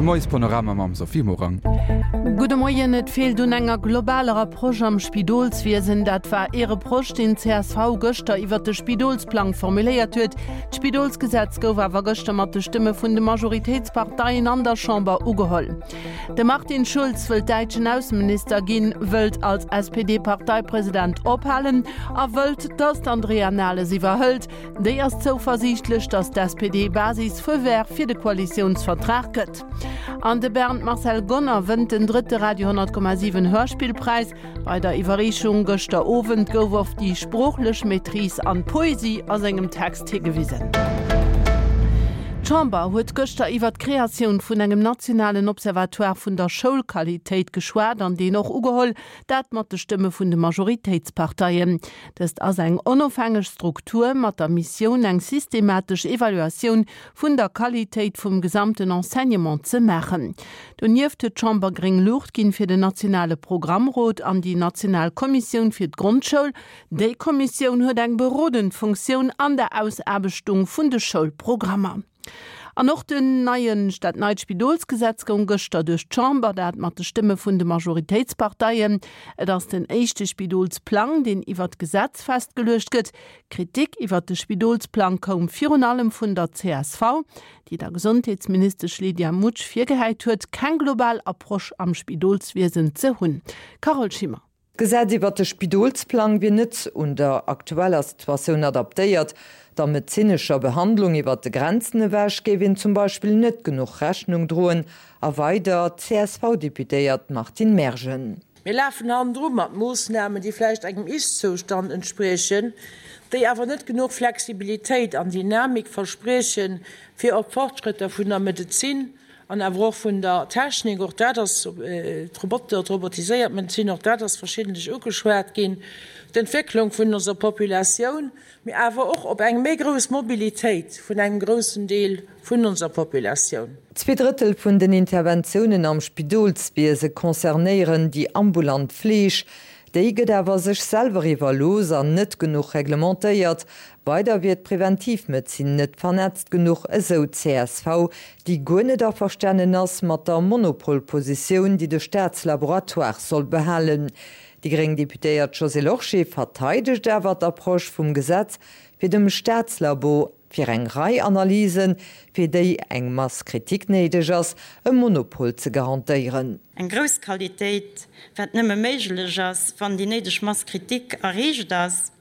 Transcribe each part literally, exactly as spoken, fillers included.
Moiespanorama mam Sophie Morang. Gudde Moien, Et feelt un enger globaler Approche am Spidolswiesen. Dat war ee Reproche, deen d'CSV gëschter iwwert de Spidolsplang formuléiert huet. D'Spidolsgesetz gouf awer gëschter mat de Stëmme vun de Majoritéitsparteien an der Chamber ugeholl. De Martin Schulz wëllt däitschen Ausseminister ginn, wëllt als SPD-Parteipresident ophalen a wëllt, datt d'Andrea Nahles iwwerhëlt. Déi ass zouversiichtlech, datt d'SPD-Basis Feu vert fir de Koalitiounsvertrag gëtt. An de Bernd Marcel Gonner wënnt den drëtte Radio honnert Komma siwen Hörspillpräis. Bei der Iwwerreechung gëschter Owend gouf op déi sproochlech Maîtrise an d'Poesie a sengem Text higewisen. D'Chamber huet gëschter iwwert d'Kreatioun vun engem nationalen Observatoire vun der Schoulqualitéit geschwat an deen och ugeholl, dat mat de Stëmme vun de Majoritéitsparteien. Dëst ass eng onofhängeg Struktur mat der Missioun eng systematesch Evaluatioun vun der Qualitéit vum gesamten Enseignement ze maachen. Donieft huet d'Chamber gréng Luucht ginn fir den nationale Programmrot an déi national Kommissioun fir d'Grondschoul. Déi Kommissioun huet eng berodend Funktioun an der Ausaarbechtung vun de Schoulprogrammer. An och den neien, dat neit Spidolsgesetz goung gëschter duerch d'Chamber, dat mat de Stëmme vun de Majoritéitsparteien. Et ass den éischte Spidolsplang, deen iwwert Gesetz festgeluecht gëtt. Kritik iwwert de Spidolsplang koum virun allem vun der csv, déi der Gesondheetsministesch Lydia Mutsch virgehäit huet, keng global Approche am Spidolswiesen ze hunn. Carole Schimmer. D'Gesetz iwwert de Spidolsplang wier net un der aktueller Situatioun adaptéiert. Der medezinescher Behandlung iwwert de Grenzen ewech géif een zum Beispill net genuch Rechnung droen, erweidert d'CSV-Deputéiert Martine Mergen. Mir lafen hannendru mat Moossnamen, déi vläicht engem Ist-Zoustand entspriechen, déi awer net genuch Flexibilitéit an Dynamik verspriechen, fir op d'Fortschrëtter vun der Medezin an awer och vun der Technik, och dat ass, d'Roboter, d'robotiséiert Medezin, och dat ass verschiddentlech ugeschwat ginn, d'Entwécklung vun onser Populatioun, mee awer och op eng méi grouss Mobilitéit vun engem groussen Deel vun onser Populatioun. Zwee Drëttel vun den Interventiounen am Spidolswiese concernéieren déi ambulant Fleeg. Déi gëtt awer sech selwer iwwerlooss an net genuch reglementéiert. Weider wier d'Preventivmedezin net vernetzt genuch, esou d'CSV, déi guer net averstanen ass mat der Monopolpositioun, déi de Staatslaboratoire soll behalen. Déi gréng Deputéiert Josée Lorsché verteidegt awer d'Approche vum Gesetz, fir dem Staatslabo fir eng Rei Analysen, fir déi eng Masse critique néideg ass, e Monopol ze garantéieren. Eng grouss Qualitéit, wat nëmme méiglech ass, wann déi néideg Masse critique erreecht ass.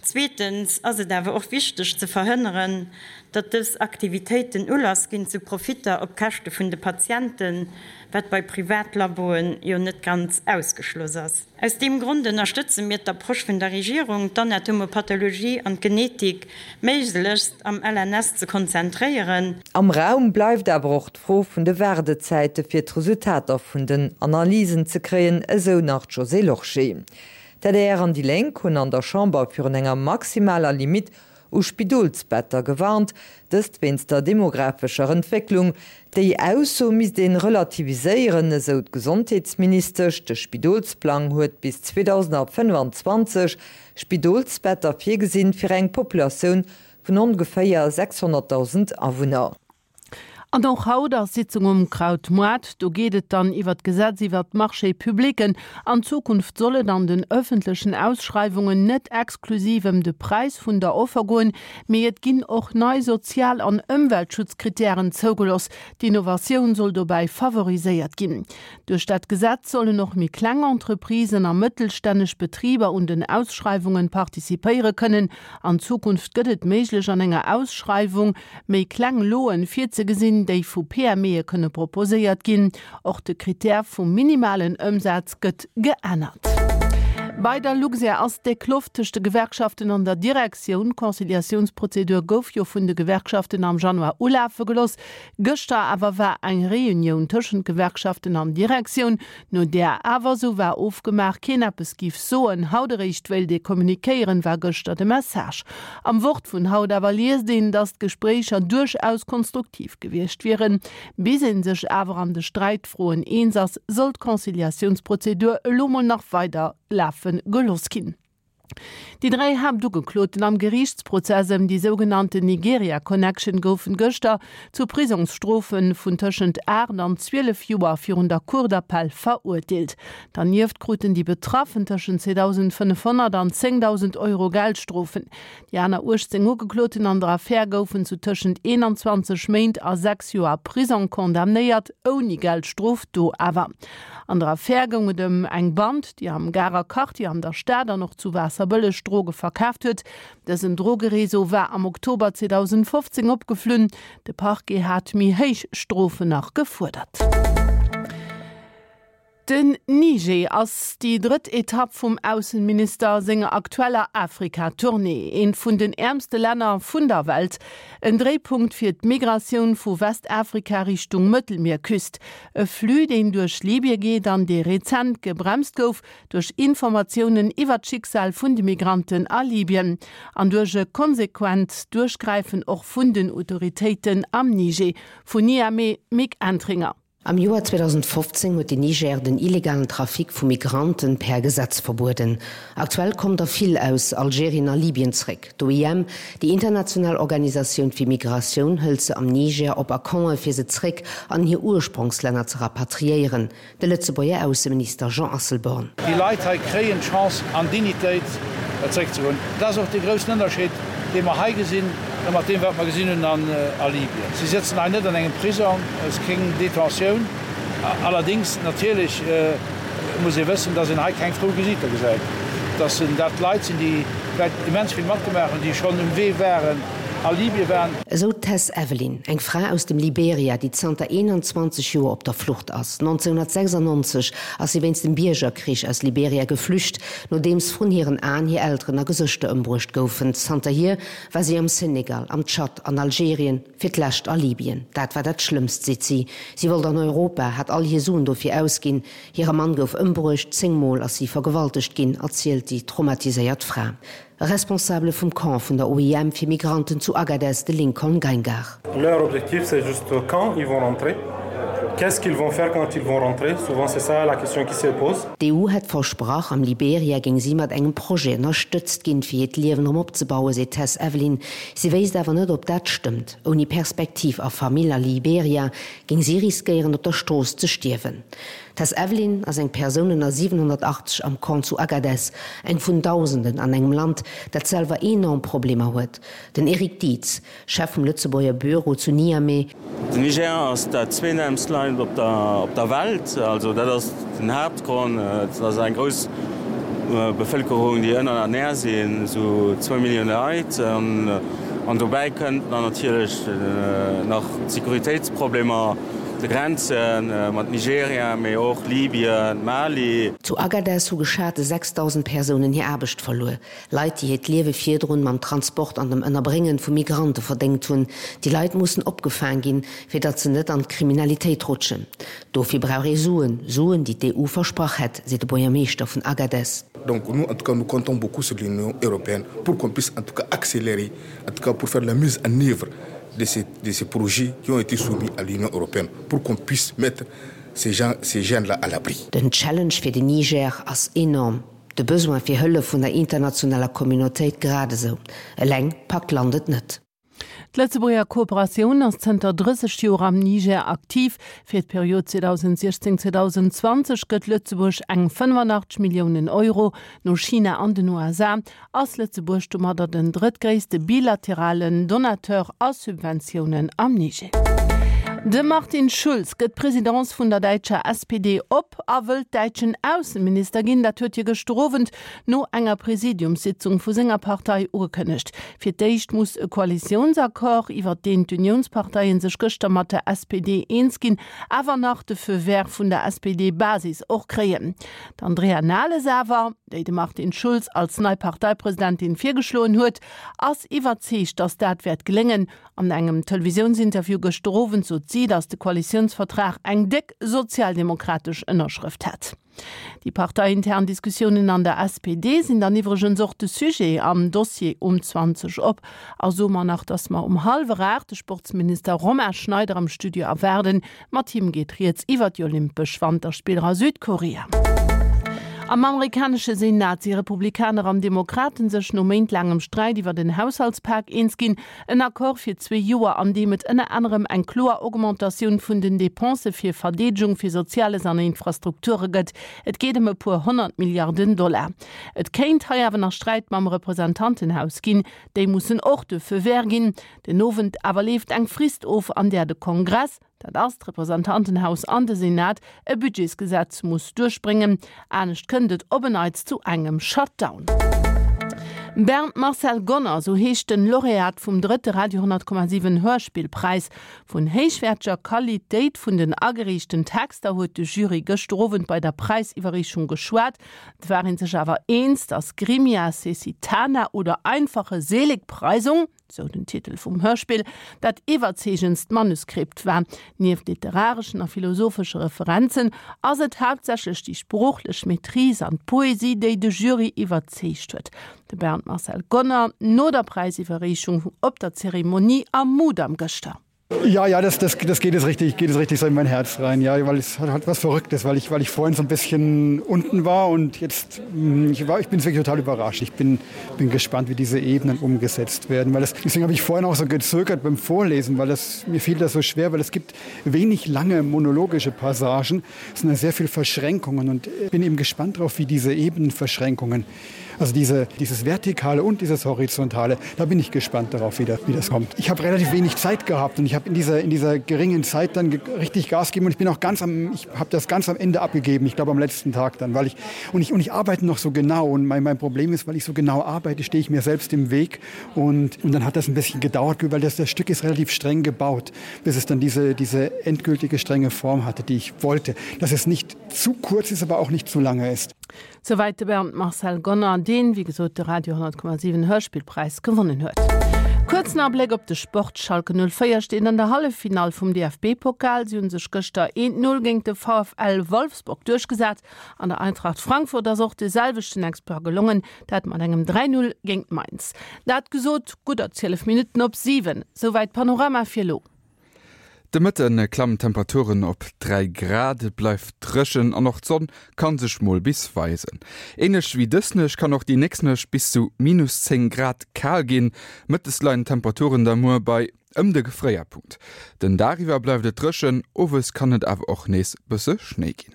Zweetens ass et awer och wichteg ze verhënneren, datt dës Aktivitéiten Ulass ginn zu Profitter op Käschte vun de Patienten, wat bei Privatlaboen jo net ganz ausgeschloss ass. Aus deem Grond ënnerstëtze mir d'Approche vun der Regierung, d'Anatomopathologie an d'Genetik méiglechst am LNS ze konzentréieren. Am Raum bleift awer och d'Fro vun de Waardezäite fir d'Resultater vun den Analysen ze kréien, esou nach d'Josée Lorsché. D'adr an déi Lénk hunn an der Chamber virun enger maximaler Limitt u Spidolsbetter gewarnt, dëst wéinst der demographescher Entwécklung. Déi Ausso misst een relativiséieren, esou d'Gesondheetsministesch. De Spidolsplang huet bis zweedausendfënnwanzwanzeg Spidolsbetter virgesinn fir eng Populatioun vun ongeféier sechshonnertdausend Awunner. An och haut ass Sitzung um Krautmoart. Do geet et dann iwwert d'Gesetz iwwert d'Marchés publics. An Zukunft soll et an den ëffentlechen Ausschreiwungen net exklusiv ëm de Präis vun der Offer goen, mee et ginn och nei Sozial an Ëmweltschutzkrittären zougelooss. D'Innovatioun soll dobäi favoriséiert ginn. Duerch dat Gesetz sollen och méi kleng Entreprisen a mëttelstänneg Betriber un den Ausschreiwungen participéiere kënnen. An Zukunft gëtt et méiglech an enger Ausschreiwung méi kleng Loen virzegesinn, déi vu PMEe kënne proposéiert ginn. Och de Krittär vum minimalen Ëmsaz gëtt geännert. Bei der Luxair ass déck Loft tëscht de Gewerkschaften an der Direktioun. D'Conciliatiounsprozedur gouf jo vun de Gewerkschaften am Januar ulafe gelooss. Gëschter awer war eng Reunioun tëschent Gewerkschaften an Direktioun, no där awer, sou war ofgemaach, keen eppes giff soen. Haut eréischt wéilt ee kommunikéieren, war gëschter de Message. Am Wort vun haut awer liest een, datt d'Gespréicher duerchaus konstruktiv gewiescht wieren. Bis ee sech awer an de Sträitfroen eens ass, soll d'Conciliatiounsprozedur elo mol nach weider lafe gelooss ginn. Déi dräi Haaptugekloten am Geriichtsprozess ëm déi sougenannten Nigeria Connection goufen gëschter zu Prisongsstrofe vun tëschent aacht an zwielef Joer virun der Cour d'appel verurteelt. Dernieft kruten déi Betraffen tëschent zweedausendfënnefhonnert an zéngdausend Euro Geldstrofen. Déi aner uechtzéng Ugekloten an der Affär goufen zu tëschent eenanzwanzeg Méint a sechs Joer Prisong condamnéiert, ouni Geldstrof do awer. An der Affär goung et ëm eng Band, déi am Garer Quartier an der Stad an och zu Waasserbëlleg Droge verkaaft huet. Dësen Drogereseau war am Oktober zweedausendfofzéng opgeflunn. De Parquet hat méi héich Strofen nach gefuerdert. Den Niger ass déi drëtt Etapp vum Aussenminister senger aktueller Afrika-Tournée. Eent vun den äermste Länner vun der Welt. En Dréipunkt fir d'Migratioun vu Westafrika Richtung Mëttelmierküst. E Flux, deen duerch Libye geet an dee rezent gebremst gouf duerch Informatiounen iwwer d'Schicksal vun de Migranten a Libyen an duerch e konsequent Duerchgräifen och vun den Autoritéiten am Niger. Vun Niamey, Mick Entringer. Am Joer zweedausendfofzéng huet den Niger den illegalen Trafic vu Migranten per Gesetz verbueden. Aktuell kommen der vill aus Algerien a Libyen zréck. D'O I M, déi international Organisatioun fir Migratioun, hëlt se am Niger op a Campe fir se zréck an hir Ursprongslänner ze rapatriéieren. De Lëtzebuerger Ausseminister Jean Asselborn. Déi Leit hei kréien d'Chance an Dignitéit zeréckzegoen. Dat ass och dee groussen Ënnerscheed, dee mer hei gesinn, mat deem, wat mer gesinn hunn a Libyen. Si sëtzen hei net an engem Prisong, et ass keng Detentioun. Allerdéngs, natierlech muss ee wëssen, dass een hei keng frou Gesiiter gesäit, dass dat Leit sinn, déi vläicht immens vill matgemaach hunn, déi schonn um Wee waren, a Libyen waren. Esou d'Tess Evelyn, eng Fra aus dem Liberia, déi zanter eenanzwanzeg Joer op der Flucht ass. nonzénhunnertsechsannonzeg ass si wéinst dem Biergerkrich aus Liberia geflücht, nodeems vrun hiren Aen hir Elteren a Gesëschter ëmbruecht goufen. Zanterhier war si am Senegal, am Tschad, an Algerien, fir d'lescht a Libyen. Dat war dat Schlëmmst, seet si. Si wollt an Europa, hat all hir Suen dofir ausginn. Hire Mann gouf ëmbruecht, zéng Mol ass si vergewaltegt ginn, erzielt déi traumatiséiert Fra. E Responsabele vum Camp vun der O I M fir Migranten zu Agadez, de Lincoln Geingar. Leur objectif, c'est juste quand ils vont rentrer. Qu'est-ce qu'ils vont faire quand ils vont rentrer? Souvent, c'est ça la question qui se pose. D'E U hätt versprach, am Liberia géing si mat engem Projet ënnerstëtzt ginn, fir hiert Liewen erëm opzebauen, seet d'Tess Evelyn. Si wéisst awer net, ob dat stëmmt. Ouni Perspektiv a Famill a Liberia géing si riskéieren, op der Strooss ze stierwen. D'Tess Evelyn ass eng Persoun ënner siwenhonnertachtzeg am Camp zu Agadez, eng vun Dausenden an engem Land, dat selwer enorm Problemer huet. Den Eric Dietz, Chef vum Lëtzebuerger Büro zu Niamey. Den Niger ass dat zweetäermst Land op der op der Welt, also dat ass den Haaptgrond. Et ass eng grouss Bevëlkerung, déi ënnerernähr sinn, esou zwou Millioune Leit. An dobäi kënnt dann natierlech nach d'Sécuritéitsproblemer, de Grenze mat Nigeria, mee och Libyen, Mali. Zu Agadez hu geschate sechsdausend Persounen hir Aarbecht verluer. Leit, déi hiert Liewe virdrun mam Transport an dem Ënnerbréngen vu Migrante verdéngt hunn. Déi Leit mussen opgefaang ginn, fir datt se net an d'Kriminalitéit rutschen. Dofir brauch ee Suen, Suen, déi d'E U versprach hätt, seet de Buergermeeschter vun Agadez. Donc nous, en tout cas, nous comptons beaucoup sur l'Union européenne pour qu'on puisse en tout cas accélérer, en tout cas pour faire la mise en œuvre de ces, de ces projets qui ont été soumis à l'Union européenne, pour qu'on puisse mettre ces gens, ces jeunes-là à l'abri. Den Challenge fir den Niger ass enorm, de Besoin fir Hëllef vun der internationaler Communautéit grad esou. Eleng packt d'Land et net. D'Lëtzebuerger Kooperatioun ass zënter drësseg Joer am Niger aktiv. Fir d'Period zweedausendsiechzéng zweedausendzwanzeg gëtt Lëtzebuerg eng fënnefanachteg Milliounen Euro. No China an den U S A ass Lëtzebuerg domadder den drëttgréisste bilateralen Donateur a Subventiounen am Niger. De Martin Schulz gëtt d'Presidence vun der däitscher S P D op a wëllt däitschen Ausseminister ginn. Dat huet hie gëschter Owend no enger Präsidiumssitzung vu senger Partei ugekënnegt. Fir d'éischt muss e Koalitiounsaccord, iwwer deen d'Uniounsparteien sech gëschter mat der S P D eens ginn, awer nach de Feu vert vun der S P D-Basis och kréien. D'Andrea Nahles awer, déi de Martin Schulz als nei Parteipresidentin virgeschloen huet, ass iwwerzeegt, datt dat wäert geléngen. An engem Televisiounsinterview gëschter Owend sot si, datt de Koalitiounsvertrag eng déck sozialdemokratesch Ënnerschrëft hätt. Déi parteiintern Diskussiounen an der S P D sinn dann iwwregens och de Sujet am Dossier um zwanzeg op. A soe mer nach, datt mer um hallwer aacht de Sportsminister Romain Schneider am Studio erwaarden. Mat him geet rieds iwwer déi Olympesch Wanterspiller a Südkorea. Am amerikanesche Senat si Republikaner an Demokraten sech no méintelaangem Sträit iwwer den Haushaltspak eens ginn. En Accord fir zwee Joer, an deem et ënner anerem eng kloer Augmentatioun vun den Depensë fir Verdeedegung, fir Soziales an Infrastrukture gëtt. Et geet ëm e puer honnert Milliarden Dollar. Et kéint hei awer nach Sträit mam Representantenhaus ginn, déi mussen och de Feu vert ginn. Den Owend awer leeft eng Frist of, an där de Kongress, dat ass d'Representantenhaus an de Senat, e Budgetsgesetz muss duerchbréngen, anescht kënnt et op en Neits zu engem Shutdown. Bernd Marcel Gonner, sou heescht den Laureat vum drëtte Radio honnert Komma siwen Hörspillpräis. Vun héichwäerteger Qualitéit vun den agereechten Texter huet de Jury gëschter Owend bei der Präisiwwerreechung geschwat. Et war een sech awer eens, datt Grimmia Cesitana oder Einfache Seligpreisung, sou den Titel vum Hörspill, dat iwwerzeegendst Manuskript war. Nieft literareschen a philosophesche Referenzen ass et haaptsächlech déi sproochlech Maîtrise an d'Poesie, déi de Jury iwwerzeegt huet. De Bernd Marcel Gonner no der Präisiwwerreechung op der Zeremonie am Mudam gëschter. Ja, ja, das, das, das geht es richtig, geht es richtig so in mein Herz rein. Ja, weil es hat, hat was Verrücktes, weil ich, weil ich vorhin so ein bisschen unten war und jetzt hm, ich war, ich bin wirklich total überrascht. Ich bin, bin gespannt, wie diese Ebenen umgesetzt werden, weil das, deswegen habe ich vorhin auch so gezögert beim Vorlesen, weil das, mir fiel das so schwer, weil es gibt wenig lange monologische Passagen, es sind sehr viel Verschränkungen und bin eben gespannt darauf, wie diese Ebenenverschränkungen, also diese, dieses Vertikale und dieses Horizontale, da bin ich gespannt darauf, wie, da, wie das kommt. Ich habe relativ wenig Zeit gehabt und ich habe in dieser, in dieser geringen Zeit dann richtig Gas gegeben und ich bin auch ganz am, ich habe das ganz am Ende abgegeben, ich glaube am letzten Tag dann, weil ich, und ich, und ich arbeite noch so genau und mein, mein Problem ist, weil ich so genau arbeite, stehe ich mir selbst im Weg und, und dann hat das ein bisschen gedauert, weil das, das Stück ist relativ streng gebaut, bis es dann diese, diese endgültige strenge Form hatte, die ich wollte, dass es nicht zu kurz ist, aber auch nicht zu lange ist. Souwäit de Bernd Marcel Gonner, deen, wéi gesot, de Radio honnert Komma siwen Hörspillpräis gewonnen huet. Kuerzen Abléck op de Sport, Schalke null véier steet an der Halleffinall vum D F B-Pokal. Si hu sech gëschter eent Null géint de V F L Wolfsburg duerchgesat. An der Eintracht Frankfurt ass och de selwechten Exploit gelongen, dat mat engem dräi Null géint Mainz. Dat gesot, gudder zwielef Minutten op siwen. Souwäit Panorama fir elo. De Mëtte klammen d'Temperaturen op dräi Grad, et bleift dréchen an och d'Sonn ka sech mol bis weisen. Änlech wéi dës Nuecht kann och déi nächst Nuecht bis zu minus zéng Grad kal ginn. Mëttes leien d'Temperaturen da muer bei ëm de Gefréierpunkt. Den Dag iwwer bleift et dréchen, owes kann et awer och nees bësse Schnéi ginn.